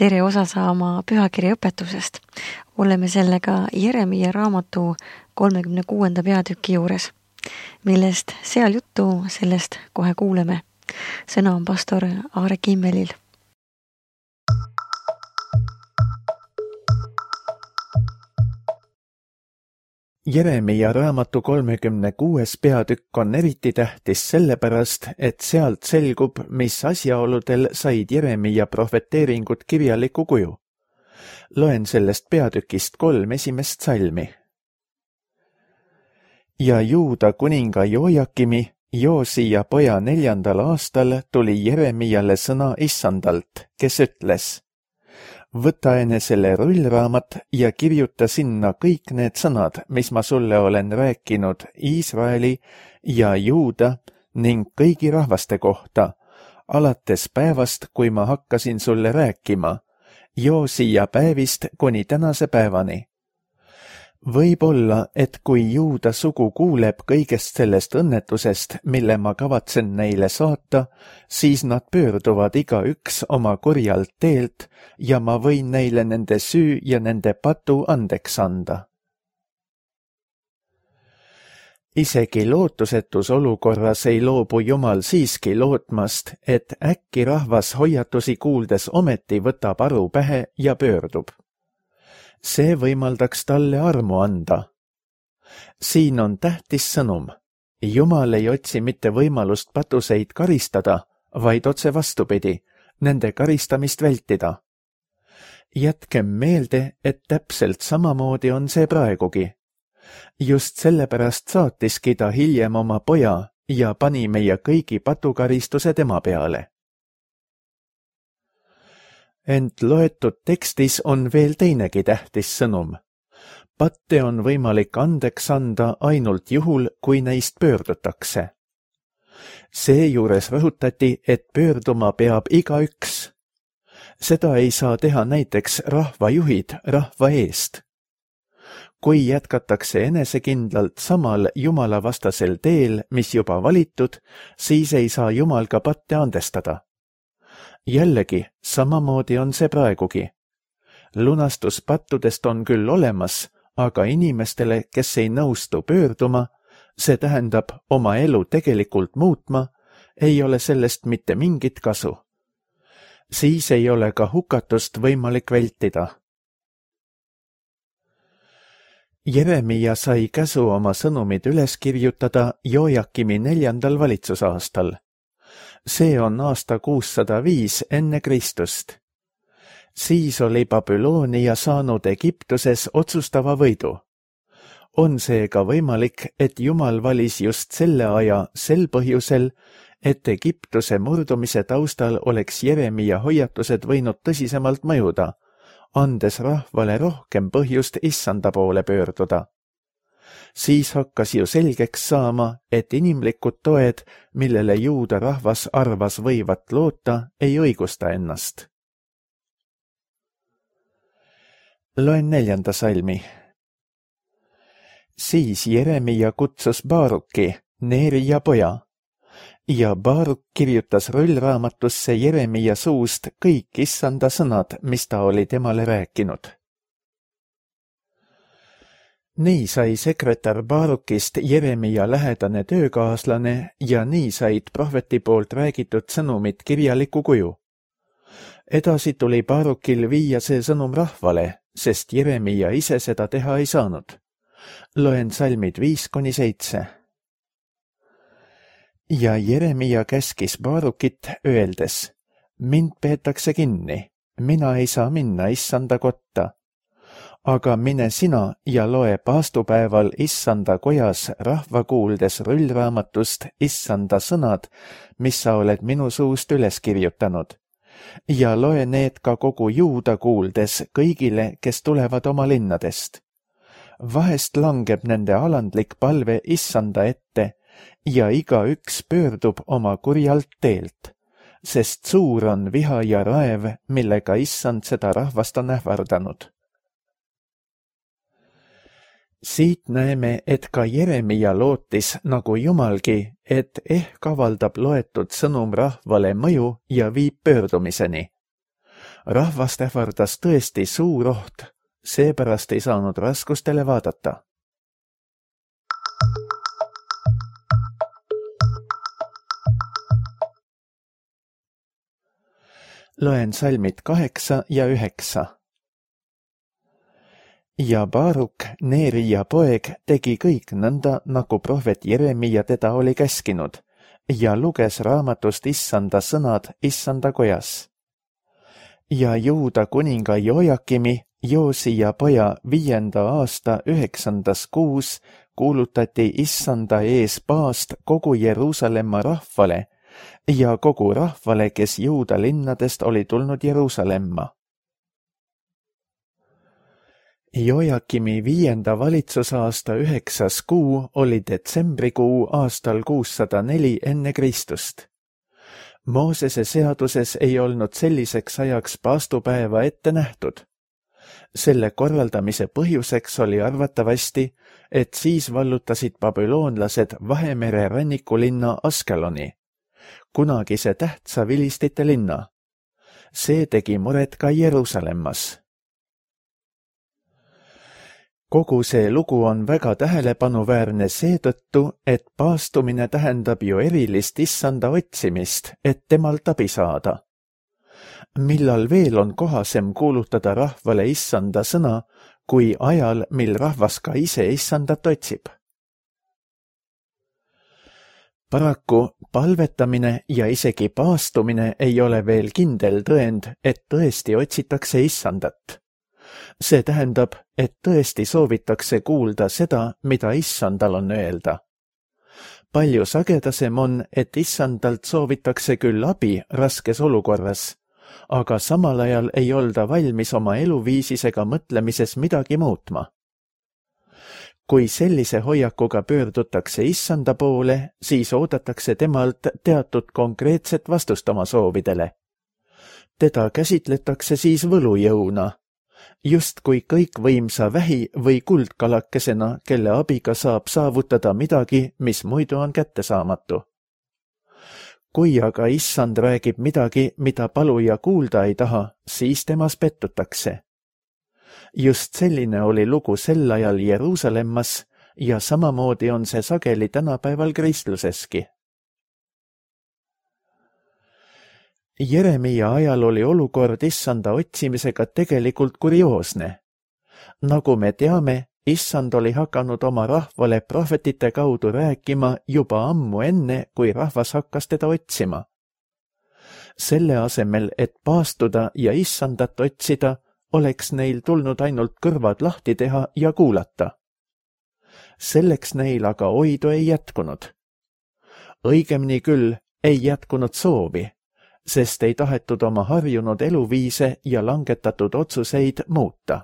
tere osa saama pühakirja õpetusest. Oleme sellega Jeremia raamatu 36. peatüki juures, millest seal juttu, sellest kohe kuuleme. Sõna on pastor Aare Kimmelil. Jeremia raamatu 36. peatükk on eriti tähtis sellepärast, et sealt selgub, mis asjaoludel said Jeremia prohveteeringud kirjaliku kuju. Loen sellest peatükist 3 esimest salmi. Ja Juuda kuninga Jojakimi, Joosia poja 4. aastal tuli Jeremiale sõna Issandalt, kes ütles: võta enesele rullraamat ja kirjuta sinna kõik need sõnad, mis ma sulle olen rääkinud Iisraeli ja Juuda ning kõigi rahvaste kohta, alates päevast, kui ma hakkasin sulle rääkima, Joosia päevist kuni tänase päevani. Võib olla, et kui Juuda sugu kuuleb kõigest sellest õnnetusest, mille ma kavatsen neile saata, siis nad pöörduvad igaüks oma kurjalt teelt ja ma võin neile nende süü ja nende patu andeks anda. Isegi lootusetus olukorras ei loobu Jumal siiski lootmast, et äkki rahvas hoiatusi kuuldes ometi võtab aru pähe ja pöördub. See võimaldaks talle armu anda. Siin on tähtis sõnum. Jumal ei otsi mitte võimalust patuseid karistada, vaid otse vastupidi, nende karistamist vältida. Jätkem meelde, et täpselt samamoodi on see praegugi. Just sellepärast saatiski ta hiljem oma poja ja pani meie kõigi patukaristuse tema peale. Ent loetud tekstis on veel teinegi tähtis sõnum. Patte on võimalik andeks anda ainult juhul, kui neist pöördutakse. Seejuures rõhutati, et pöörduma peab igaüks. Seda ei saa teha näiteks rahvajuhid rahva eest. Kui jätkatakse enesekindlalt samal jumalavastasel teel, mis juba valitud, siis ei saa Jumal ka patte andestada. Jällegi, samamoodi on see praegugi. Lunastus pattudest on küll olemas, aga inimestele, kes ei nõustu pöörduma, see tähendab oma elu tegelikult muutma, ei ole sellest mitte mingit kasu. Siis ei ole ka hukatust võimalik vältida. Jeremia sai käsu oma sõnumid üles kirjutada Jojakimi 4. valitsusaastal. See on aasta 605 enne Kristust. Siis oli Babyloonia saanud Egiptuses otsustava võidu. On seega võimalik, et Jumal valis just selle aja sel põhjusel, et Egiptuse murdumise taustal oleks Jeremia hoiatused võinud tõsisemalt mõjuda, andes rahvale rohkem põhjust Issanda poole pöörduda. Siis hakkas ju selgeks saama, et inimlikud toed, millele Juuda rahvas arvas võivat loota, ei õigusta ennast. Loen 4. salmi. Siis Jeremia kutsus Baaruki, Neerija poja, ja Baaruk kirjutas rullraamatusse Jeremia suust kõik Issanda sõnad, mis ta oli temale rääkinud. Nii sai sekretär Baarukist Jeremia lähedane töökaaslane ja nii said prohveti poolt räägitud sõnumid kirjaliku kuju. Edasi tuli Baarukil viia see sõnum rahvale, sest Jeremia ise seda teha ei saanud. Loen salmid 5-7. Ja Jeremia käskis Baarukit öeldes: mind peetakse kinni, mina ei saa minna Issanda kotta. Aga mine sina ja loe paastupäeval Issanda kojas rahva kuuldes rullraamatust Issanda sõnad, mis sa oled minu suust üles kirjutanud. Ja loe need ka kogu Juuda kuuldes kõigile, kes tulevad oma linnadest. Vahest langeb nende alandlik palve Issanda ette ja igaüks pöördub oma kurjalt teelt, sest suur on viha ja raev, millega Issand seda rahvast on ähvardanud. Siit näeme, et ka Jeremia lootis, nagu Jumalgi, et ehk avaldab loetud sõnum rahvale mõju ja viib pöördumiseni. Rahvast ähvardas tõesti suur oht, seepärast ei saanud raskustele vaadata. Loen salmid 8 ja 9. Ja Baaruk, Neerija poeg, tegi kõik nõnda, nagu prohvet Jeremia teda oli käskinud, ja luges raamatust Issanda sõnad Issanda kojas. Ja Juuda kuninga Jojakimi, Joosija poja 5. aasta 9. kuus kuulutati Issanda ees paast kogu Jeruusalemma rahvale ja kogu rahvale, kes Juuda linnadest oli tulnud Jeruusalemma. Jojakimi 5. valitsusaasta 9. kuu oli detsembrikuu aastal 604 enne Kristust. Moosese seaduses ei olnud selliseks ajaks paastupäeva ette nähtud. Selle korraldamise põhjuseks oli arvatavasti, et siis vallutasid babüloonlased Vahemere rannikulinna Askeloni, kunagise tähtsa vilistite linna. See tegi muret ka Jeruusalemmas. Kogu see lugu on väga tähelepanuväärne seetõttu, et paastumine tähendab ju erilist Issanda otsimist, et temalt abi saada. Millal veel on kohasem kuulutada rahvale Issanda sõna, kui ajal, mil rahvas ka ise Issandat otsib? Paraku palvetamine ja isegi paastumine ei ole veel kindel tõend, et tõesti otsitakse Issandat. See tähendab, et tõesti soovitakse kuulda seda, mida Issandal on öelda. Palju sagedasem on, et Issandalt soovitakse küll abi raskes olukorras, aga samal ajal ei olda valmis oma eluviisis ega mõtlemises midagi muutma. Kui sellise hoiakuga pöördutakse Issanda poole, siis oodatakse temalt teatud konkreetset vastust oma soovidele. Teda käsitletakse siis võlujõuna, justkui kõikvõimsa vähi või kuldkalakesena, kelle abiga saab saavutada midagi, mis muidu on kättesaamatu. Kui aga Issand räägib midagi, mida paluja kuulda ei taha, siis temas pettutakse. Just selline oli lugu sel ajal Jeruusalemmas ja samamoodi on see sageli tänapäeval kristluseski. Jeremia ajal oli olukord Issanda otsimisega tegelikult kurioosne. Nagu me teame, Issand oli hakanud oma rahvale prohvetite kaudu rääkima juba ammu enne, kui rahvas hakkas teda otsima. Selle asemel, et paastuda ja Issandat otsida, oleks neil tulnud ainult kõrvad lahti teha ja kuulata. Selleks neil aga oidu ei jätkunud. Õigemini küll ei jätkunud soovi, sest ei tahetud oma harjunud eluviise ja langetatud otsuseid muuta.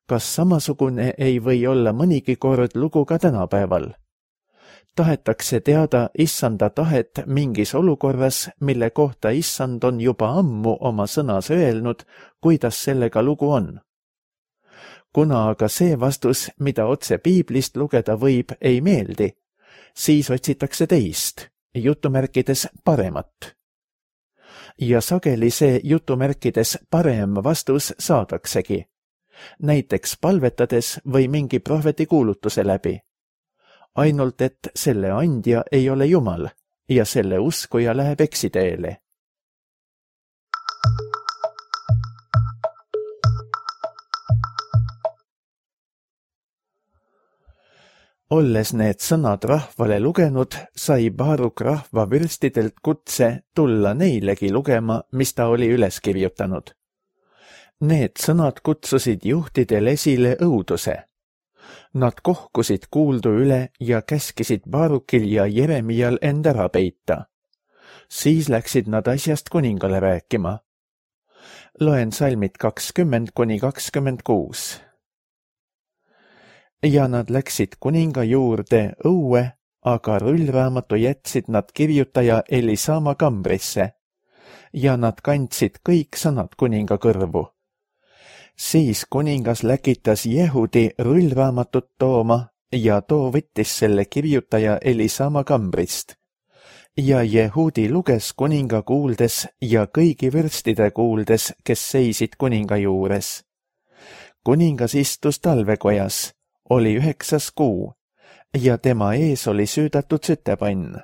Kas samasugune ei või olla mõnigi kord lugu ka tänapäeval? Tahetakse teada Issanda tahet mingis olukorras, mille kohta Issand on juba ammu oma sõnas öelnud, kuidas sellega lugu on. Kuna aga see vastus, mida otse piiblist lugeda võib, ei meeldi, siis otsitakse teist, jutumärkides paremat. Ja sageli see jutumärkides parem vastus saadaksegi, näiteks palvetades või mingi prohveti kuulutuse läbi. Ainult et selle andja ei ole Jumal ja selle uskuja läheb eksiteele. Olles need sõnad rahvale lugenud, sai Baaruk rahva vürstidelt kutse tulla neilegi lugema, mis ta oli üles kirjutanud. Need sõnad kutsusid juhtidel esile õuduse. Nad kohkusid kuuldu üle ja käskisid Baarukil ja Jeremial end ära peita. Siis läksid nad asjast kuningale rääkima. Loen salmid 20–26. Ja nad läksid kuninga juurde õue, aga rullraamatu jätsid nad kirjutaja Elisama kambrisse ja nad kandsid kõik sõnad kuninga kõrvu. Siis kuningas läkitas Jehudi rullraamatut tooma ja too võttis selle kirjutaja Elisama kambrist ja Jehudi luges kuninga kuuldes ja kõigi vürstide kuuldes, kes seisid kuninga juures. Kuningas istus talvekojas, oli 9. kuu ja tema ees oli süüdatud sütepann.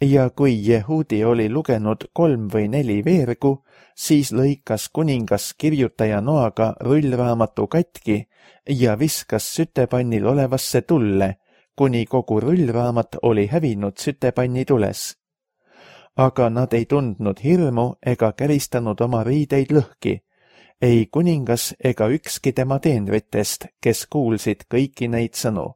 Ja kui Jehudi oli lugenud 3 või 4 veergu, siis lõikas kuningas kirjutaja noaga rullraamatu katki ja viskas sütepannil olevasse tulle, kuni kogu rullraamat oli hävinud sütepanni tules. Aga nad ei tundnud hirmu ega käristanud oma riideid lõhki, ei kuningas ega ükski tema teenritest, kes kuulsid kõiki neid sõnu.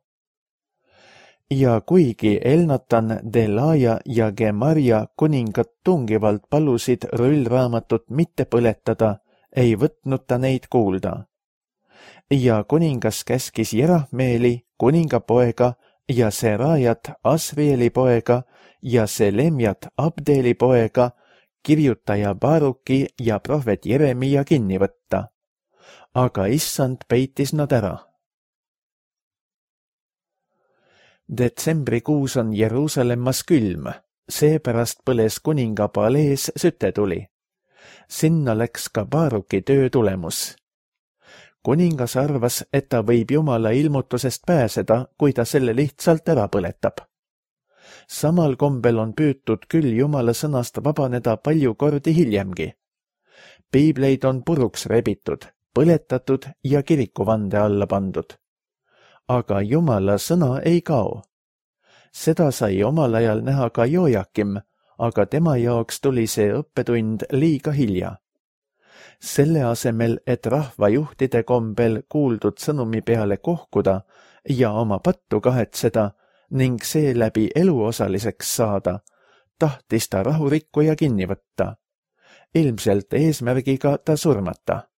Ja kuigi Elnatan, Delaja ja Gemaria kuningat tungivalt palusid rullraamatut mitte põletada, ei võtnud ta neid kuulda. Ja kuningas käskis Jerahmeeli, kuningapoega, ja Serajat, Asrieli poega, ja Selemjat, Abdeli poega, kirjutaja Baruki ja prohvet Jeremia kinni võtta. Aga issand peitis nad ära. Detsembrikuus on Jeruusalemmas külm, seepärast põles kuninga palees sütetuli. Sinna läks ka Baruki töö tulemus. Kuningas arvas, et ta võib Jumala ilmutusest pääseda, kui ta selle lihtsalt ära põletab. Samal kombel on püütud küll Jumala sõnast vabaneda palju kordi hiljemgi. Piibleid on puruks rebitud, põletatud ja kirikuvande alla pandud. Aga Jumala sõna ei kao. Seda sai omal ajal näha ka Jojakim, aga tema jaoks tuli see õppetund liiga hilja. Selle asemel, et rahvajuhtide kombel kuuldud sõnumi peale kohkuda ja oma pattu kahetseda ning seeläbi eluosaliseks saada, tahtis ta rahurikkuja kinni võtta. Ilmselt eesmärgiga ta surmata.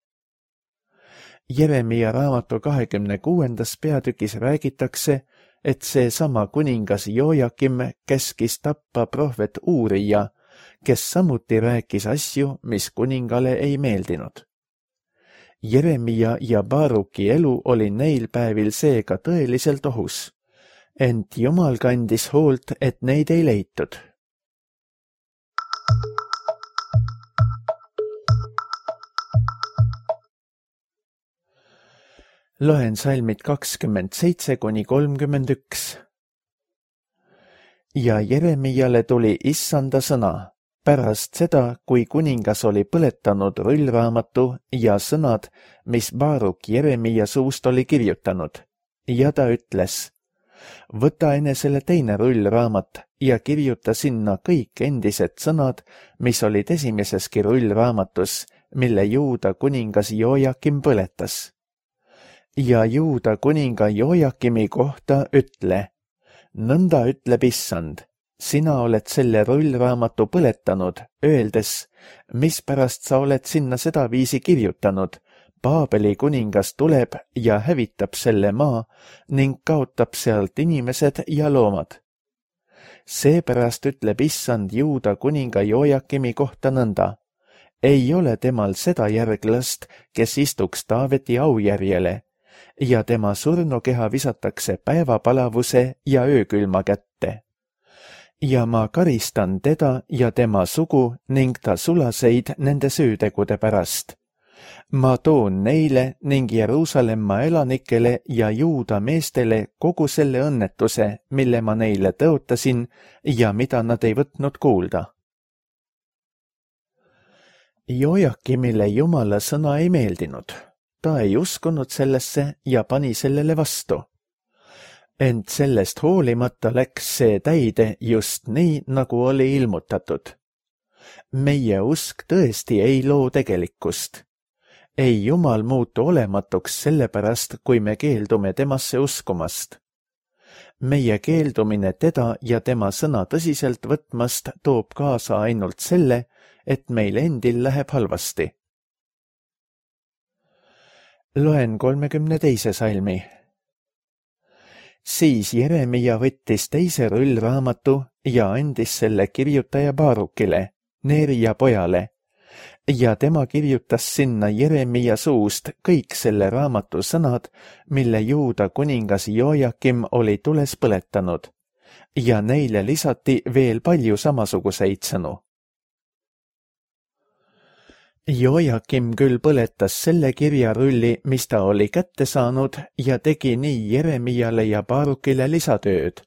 Jeremia raamatu 26. peatükis räägitakse, et seesama kuningas Jojakim käskis tappa prohvet Uurija, kes samuti rääkis asju, mis kuningale ei meeldinud. Jeremia ja Baruki elu oli neil päevil seega tõeliselt ohus, ent Jumal kandis hoolt, et neid ei leitud. Loen salmid 27–31. Ja Jeremiale tuli issanda sõna, pärast seda, kui kuningas oli põletanud rullraamatu ja sõnad, mis Baruk Jeremia suust oli kirjutanud, ja ta ütles, võta enesele teine rullraamat ja kirjuta sinna kõik endised sõnad, mis olid esimeseski rullraamatus, mille Juuda kuningas Jojakim põletas. Ja Juuda kuninga Jojakimi kohta ütle, nõnda ütleb issand, sina oled selle rullraamatu põletanud, öeldes, mispärast sa oled sinna sedaviisi kirjutanud, Paabeli kuningas tuleb ja hävitab selle maa ning kaotab sealt inimesed ja loomad. Seepärast ütleb issand Juuda kuninga Jojakimi kohta nõnda, ei ole temal seda järglast, kes istuks Taaveti aujärjele, ja tema surnukeha visatakse päevapalavuse ja öökülma kätte. Ja ma karistan teda ja tema sugu ning ta sulaseid nende süütegude pärast. Ma toon neile ning Jeruusalemma elanikele ja Juuda meestele kogu selle õnnetuse, mille ma neile tõotasin ja mida nad ei võtnud kuulda. Jojakimile Jumala sõna ei meeldinud. Ta ei uskunud sellesse ja pani sellele vastu. Ent sellest hoolimata läks see täide just nii, nagu oli ilmutatud. Meie usk tõesti ei loo tegelikkust. Ei Jumal muutu olematuks sellepärast, kui me keeldume temasse uskumast. Meie keeldumine teda ja tema sõna tõsiselt võtmast toob kaasa ainult selle, et meil endil läheb halvasti. Loen 32. salmi. Siis Jeremia võttis teise rullraamatu ja andis selle kirjutaja Barukile, Neerija pojale, ja tema kirjutas sinna Jeremia suust kõik selle raamatu sõnad, mille Juuda kuningas Jojakim oli tules põletanud, ja neile lisati veel palju samasuguseid sõnu. Joakim küll põletas selle kirjarulli, mis ta oli kätte saanud ja tegi nii Jeremiale ja Baarukile lisatööd,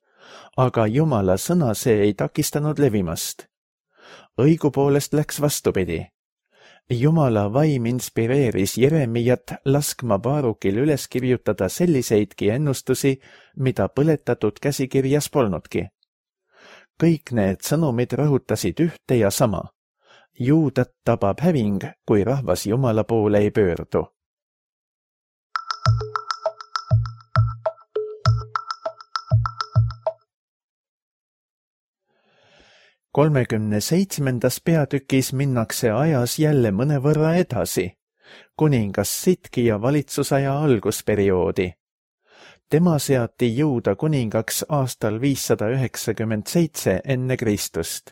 aga Jumala sõna see ei takistanud levimast. Õigupoolest läks vastupidi. Jumala vaim inspireeris Jeremiat laskma Baarukil üles kirjutada selliseidki ennustusi, mida põletatud käsikirjas polnudki. Kõik need sõnumid rõhutasid ühte ja sama. Juudat tabab häving, kui rahvas Jumala poole ei pöördu. Kolmekümne 7. peatükis minnakse ajas jälle mõnevõrra edasi, kuningas Sidkia valitsusaja algusperioodi. Tema seati Juuda kuningaks aastal 597 enne Kristust.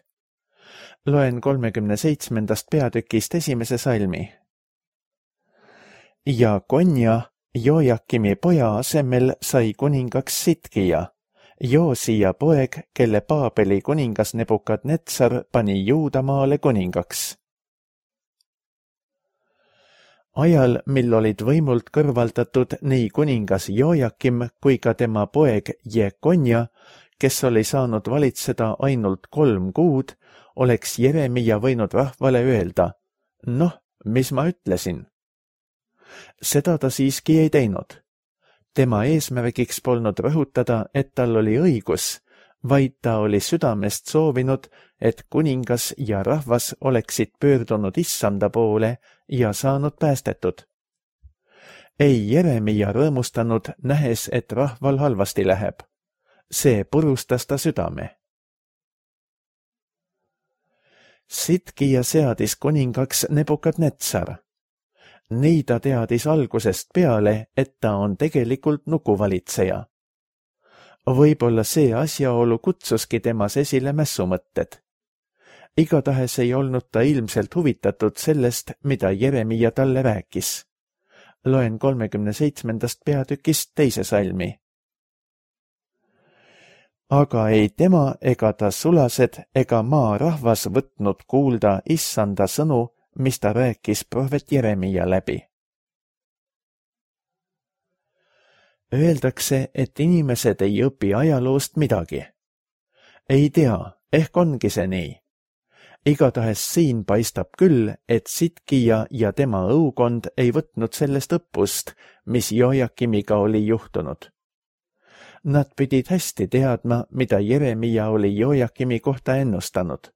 Loen 37. peatükist esimese salmi. Ja Konja, Joakimi poja asemel sai kuningaks Sidkia, Joosia poeg, kelle Paabeli kuningas Nebukadnetsar pani Juudamaale kuningaks. Ajal, mil olid võimult kõrvaldatud nii kuningas Joakim kui ka tema poeg Jekonja, kes oli saanud valitseda ainult 3 kuud, oleks Jeremia võinud rahvale öelda, noh, mis ma ütlesin. Seda ta siiski ei teinud. Tema eesmärgiks polnud rõhutada, et tal oli õigus, vaid ta oli südamest soovinud, et kuningas ja rahvas oleksid pöördunud Issanda poole ja saanud päästetud. Ei Jeremia rõõmustanud, nähes, et rahval halvasti läheb. See purustas ta südame. Sidkia seadis kuningaks Nebukadnetsar. Nii ta teadis algusest peale, et ta on tegelikult nukuvalitseja. Võib-olla see asjaolu kutsuski temas esile mässumõtted. Igatahes ei olnud ta ilmselt huvitatud sellest, mida Jeremia talle rääkis. Loen 37. peatükist 2. salmi. Aga ei tema ega ta sulased ega maa rahvas võtnud kuulda Issanda sõnu, mis ta rääkis prohvet Jeremia läbi. Öeldakse, et inimesed ei õpi ajaloost midagi. Ei tea, ehk ongi see nii. Igatahes siin paistab küll, et Sidkia ja tema õukond ei võtnud sellest õppust, mis Joakimiga oli juhtunud. Nad pidid hästi teadma, mida Jeremia oli Joakimi kohta ennustanud.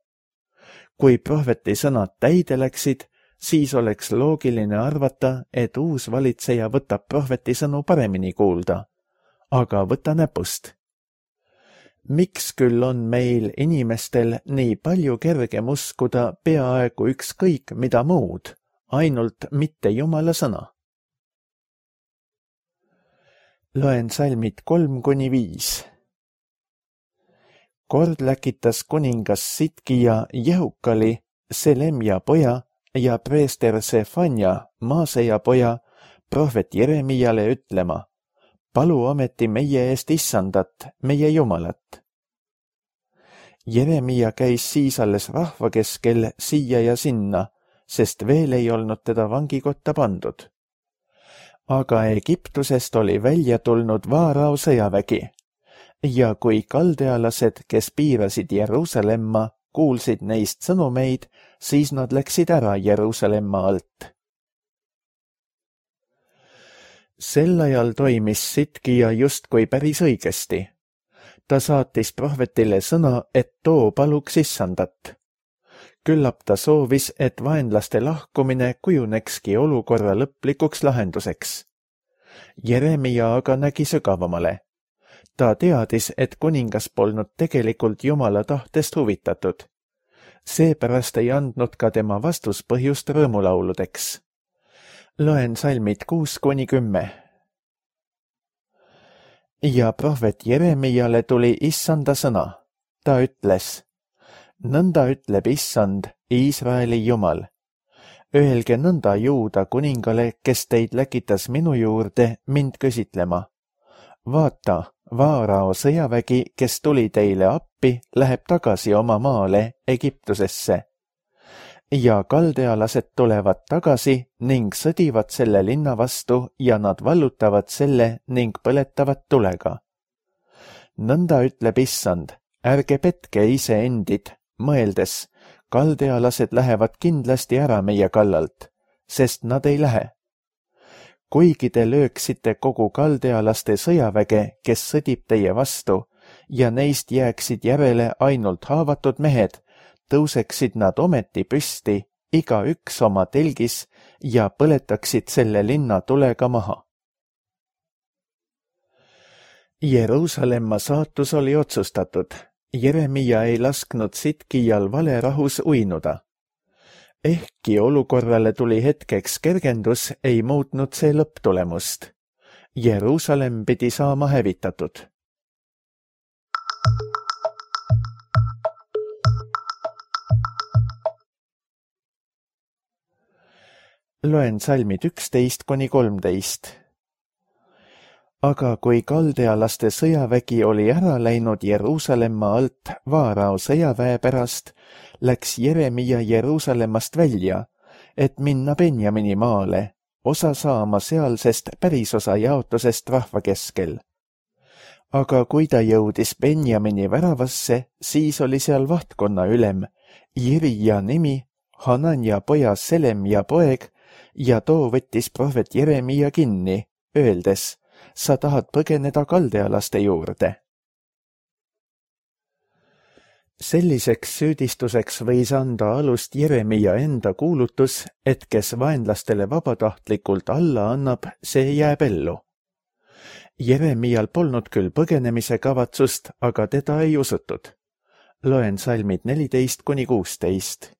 Kui prohveti sõnad täide läksid, siis oleks loogiline arvata, et uus valitseja võtab prohveti sõnu paremini kuulda, aga võta näpust. Miks küll on meil inimestel nii palju kergem uskuda peaaegu ükskõik mida muud, ainult mitte Jumala sõna? Loen salmid 3-5. Kord läkitas kuningas Sidkia Jehukali, Selemja poja ja preester Sefanja, Maaseja poja, prohvet Jeremiale ütlema, palu ometi meie eest Issandat, meie Jumalat. Jeremia käis siis alles rahva keskel siia ja sinna, sest veel ei olnud teda vangikotta pandud. Aga Egiptusest oli välja tulnud Vaarao sõjavägi. Ja kui kaldealased, kes piirasid Jeruusalemma, kuulsid neist sõnumeid, siis nad läksid ära Jeruusalemma alt. Sel ajal toimis Sidkia justkui päris õigesti. Ta saatis prohvetile sõna, et too paluks Issandat. Küllap ta soovis, et vaenlaste lahkumine kujunekski olukorra lõplikuks lahenduseks. Jeremia aga nägi sügavamale. Ta teadis, et kuningas polnud tegelikult Jumala tahtest huvitatud. Seepärast ei andnud ka tema vastus põhjust rõõmulauludeks. Loen salmid 6-10. Ja prohvet Jeremiale tuli Issanda sõna. Ta ütles, nõnda ütleb Issand, Iisraeli Jumal. Öelge nõnda Juuda kuningale, kes teid läkitas minu juurde mind küsitlema. vaata, Vaarao sõjavägi, kes tuli teile appi, läheb tagasi oma maale Egiptusesse. Ja kaldealased tulevad tagasi ning sõdivad selle linna vastu ja nad vallutavad selle ning põletavad tulega. Nõnda ütleb Issand, ärge petke iseendid, mõeldes, kaldealased lähevad kindlasti ära meie kallalt, sest nad ei lähe. Kuigi te lööksite kogu kaldealaste sõjaväge, kes sõdib teie vastu, ja neist jääksid järele ainult haavatud mehed, tõuseksid nad ometi püsti, igaüks oma telgis, ja põletaksid selle linna tulega maha. Jeruusalemma saatus oli otsustatud. Jeremia ei lasknud Sitkijal valerahus uinuda. Ehkki olukorrale tuli hetkeks kergendus, ei muutnud see lõpptulemust. Jeruusalem pidi saama hävitatud. Loen salmid 11–13. Aga kui kaldealaste sõjavägi oli ära läinud Jeruusalemma alt Vaarao sõjaväe pärast, läks Jeremia Jeruusalemmast välja, et minna Benjamini maale, osa saama sealsest pärisosa jaotusest rahva keskel. Aga kui ta jõudis Benjamini väravasse, siis oli seal vahtkonna ülem, Jirija nimi, Hananja poja Selemja poeg, ja too võttis prohvet Jeremia kinni, öeldes, sa tahad põgeneda kaldealaste juurde. Selliseks süüdistuseks võis anda alust Jeremia enda kuulutus, et kes vaenlastele vabatahtlikult alla annab, see jääb ellu. Jeremial polnud küll põgenemise kavatsust, aga teda ei usutud. Loen salmid 14–16.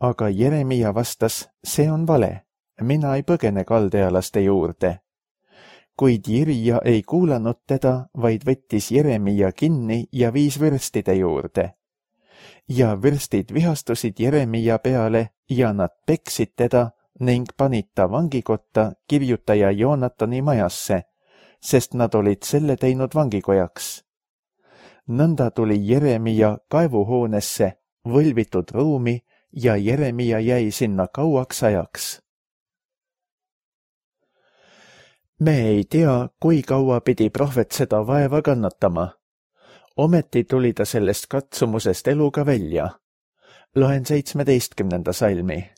Aga Jeremia vastas, see on vale, mina ei põgene kaldealaste juurde. Kuid Jirija ei kuulanud teda, vaid võttis Jeremia kinni ja viis vürstide juurde. Ja vürstid vihastusid Jeremia peale ja nad peksid teda ning panid ta vangikotta kirjutaja Joonatani majasse, sest nad olid selle teinud vangikojaks. Nõnda tuli Jeremia kaevuhoonesse, võlvitud ruumi, ja Jeremia jäi sinna kauaks ajaks. Me ei tea, kui kaua pidi prohvet seda vaeva kannatama. Ometi tuli ta sellest katsumusest eluga välja. Loen 17. salmi.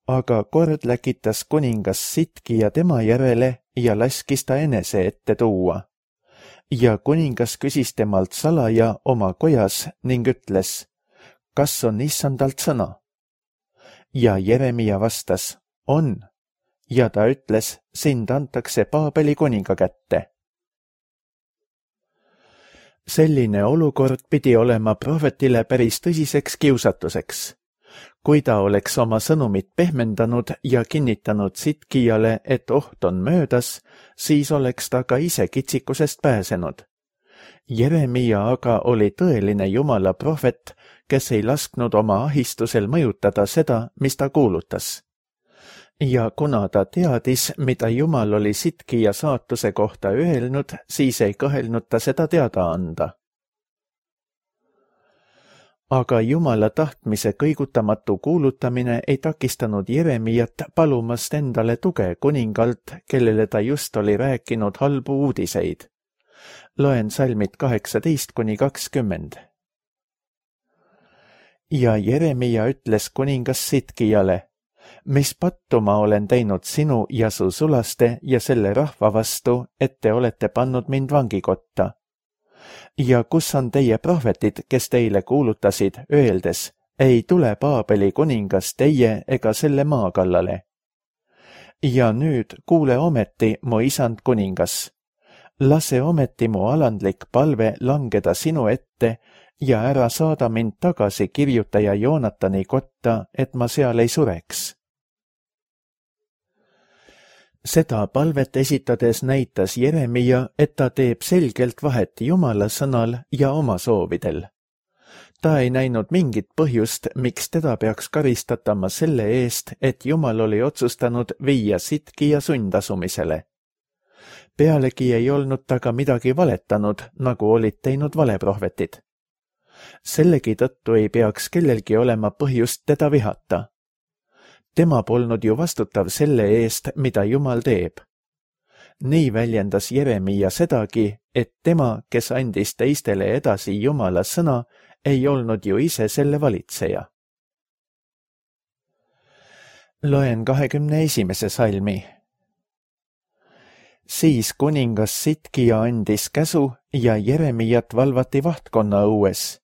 Aga kord läkitas kuningas Sitkija tema järele ja laskis ta enese ette tuua. Ja kuningas küsis temalt salaja oma kojas ning ütles, kas on Issandalt sõna? Ja Jeremia vastas, on. Ja ta ütles, sind antakse Paabeli kuninga kätte. Selline olukord pidi olema prohvetile päris tõsiseks kiusatuseks. Kui ta oleks oma sõnumit pehmendanud ja kinnitanud Sitkijale, et oht on möödas, siis oleks ta ka ise kitsikusest pääsenud. Jeremia aga oli tõeline Jumala prohvet, kes ei lasknud oma ahistusel mõjutada seda, mis ta kuulutas. Ja kuna ta teadis, mida Jumal oli Sitkija saatuse kohta öelnud, siis ei kõhelnud ta seda teada anda. Aga Jumala tahtmise kõigutamatu kuulutamine ei takistanud Jeremiat palumast endale tuge kuningalt, kellele ta just oli rääkinud halbu uudiseid. Loen salmid 18–20. Ja Jeremia ütles kuningas Sitkijale, mis pattu ma olen teinud sinu ja su sulaste ja selle rahva vastu, et te olete pannud mind vangikotta. Ja kus on teie prohvetid, kes teile kuulutasid, öeldes, ei tule Paabeli kuningas teie ega selle maa kallale. Ja nüüd kuule ometi, mu isand kuningas. Lase ometi mu alandlik palve langeda sinu ette ja ära saada mind tagasi kirjutaja Joonatani kotta, et ma seal ei sureks. Seda palvet esitades näitas Jeremia, et ta teeb selgelt vahet Jumala sõnal ja oma soovidel. Ta ei näinud mingit põhjust, miks teda peaks karistatama selle eest, et Jumal oli otsustanud viia Sitkija sundasumisele. Pealegi ei olnud ta ka midagi valetanud, nagu olid teinud valeprohvetid. Sellegi tõttu ei peaks kellelgi olema põhjust teda vihata. Tema polnud ju vastutav selle eest, mida Jumal teeb. Nii väljendas Jeremia sedagi, et tema, kes andis teistele edasi Jumala sõna, ei olnud ju ise selle valitseja. Loen 21. salmi. Siis kuningas Sitkija andis käsu ja Jeremiat valvati vahtkonna õues.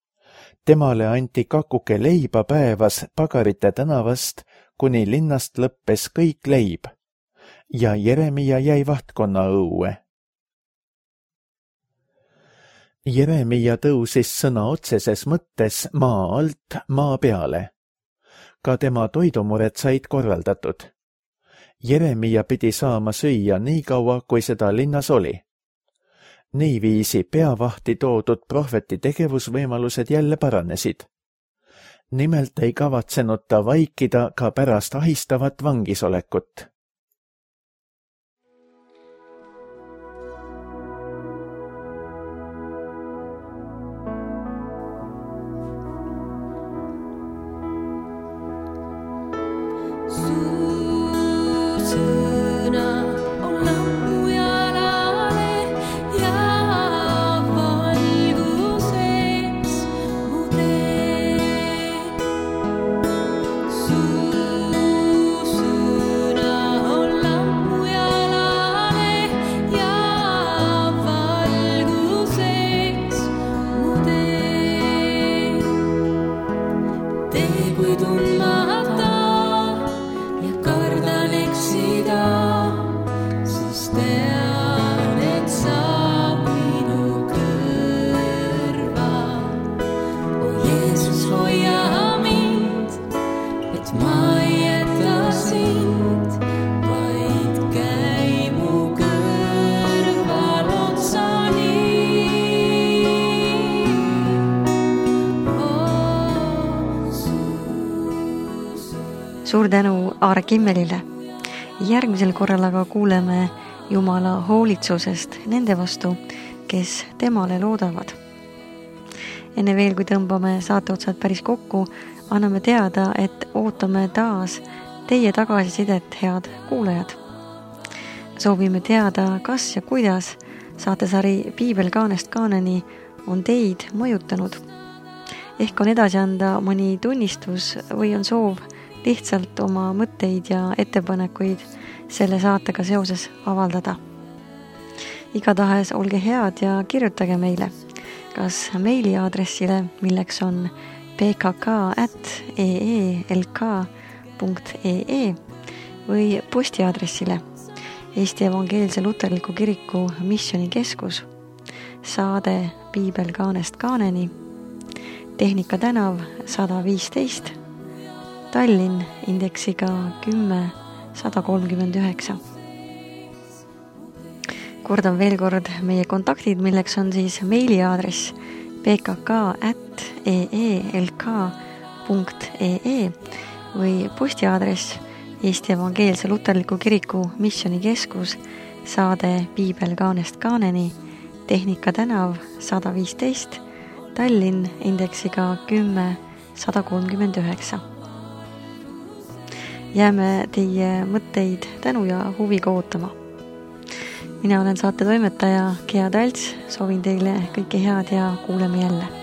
Temale anti kakuke leiba päevas Pagarite tänavast, kuni linnast lõppes kõik leib. Ja Jeremia jäi vahtkonna õue. Jeremia tõusis sõna otseses mõttes maa alt maa peale. Ka tema toidumured said korraldatud. Jeremia pidi saama süüa nii kaua, kui seda linnas oli. Niiviisi peavahti toodud prohveti tegevusvõimalused jälle paranesid. Nimelt ei kavatsenud ta vaikida ka pärast ahistavat vangisolekut. Suur tänu Aare Kimmelile. Järgmisel korral aga kuuleme Jumala hoolitsusest nende vastu, kes temale loodavad. Enne veel, kui tõmbame saateotsad päris kokku, anname teada, et ootame taas teie tagasisidet, head kuulajad. Soovime teada, kas ja kuidas saatesari Piibel kaanest kaaneni on teid mõjutanud. Ehk on edasi anda mõni tunnistus või on soov lihtsalt oma mõtteid ja ettepanekuid selle saatega seoses avaldada. Igatahes olge head ja kirjutage meile, kas meiliaadressile, milleks on pkk@eelk.ee või postiaadressile Eesti Evangeelse Luterliku Kiriku Missionikeskus, saade Piibel kaanest kaaneni, Tehnika tänav 115, Tallinn indeksiga 10139. Kordan veel kord meie kontaktid, milleks on siis meiliaadress pkk@eelk.ee või postiaadress Eesti Evangeelse Luterliku Kiriku Missionikeskus, saade Piibel kaanest kaaneni, Tehnika tänav 115, Tallinn indeksiga 10139. Jääme teie mõtteid tänu ja huviga ootama. Mina olen saate toimetaja Gea Talts, soovin teile kõike head ja kuuleme jälle.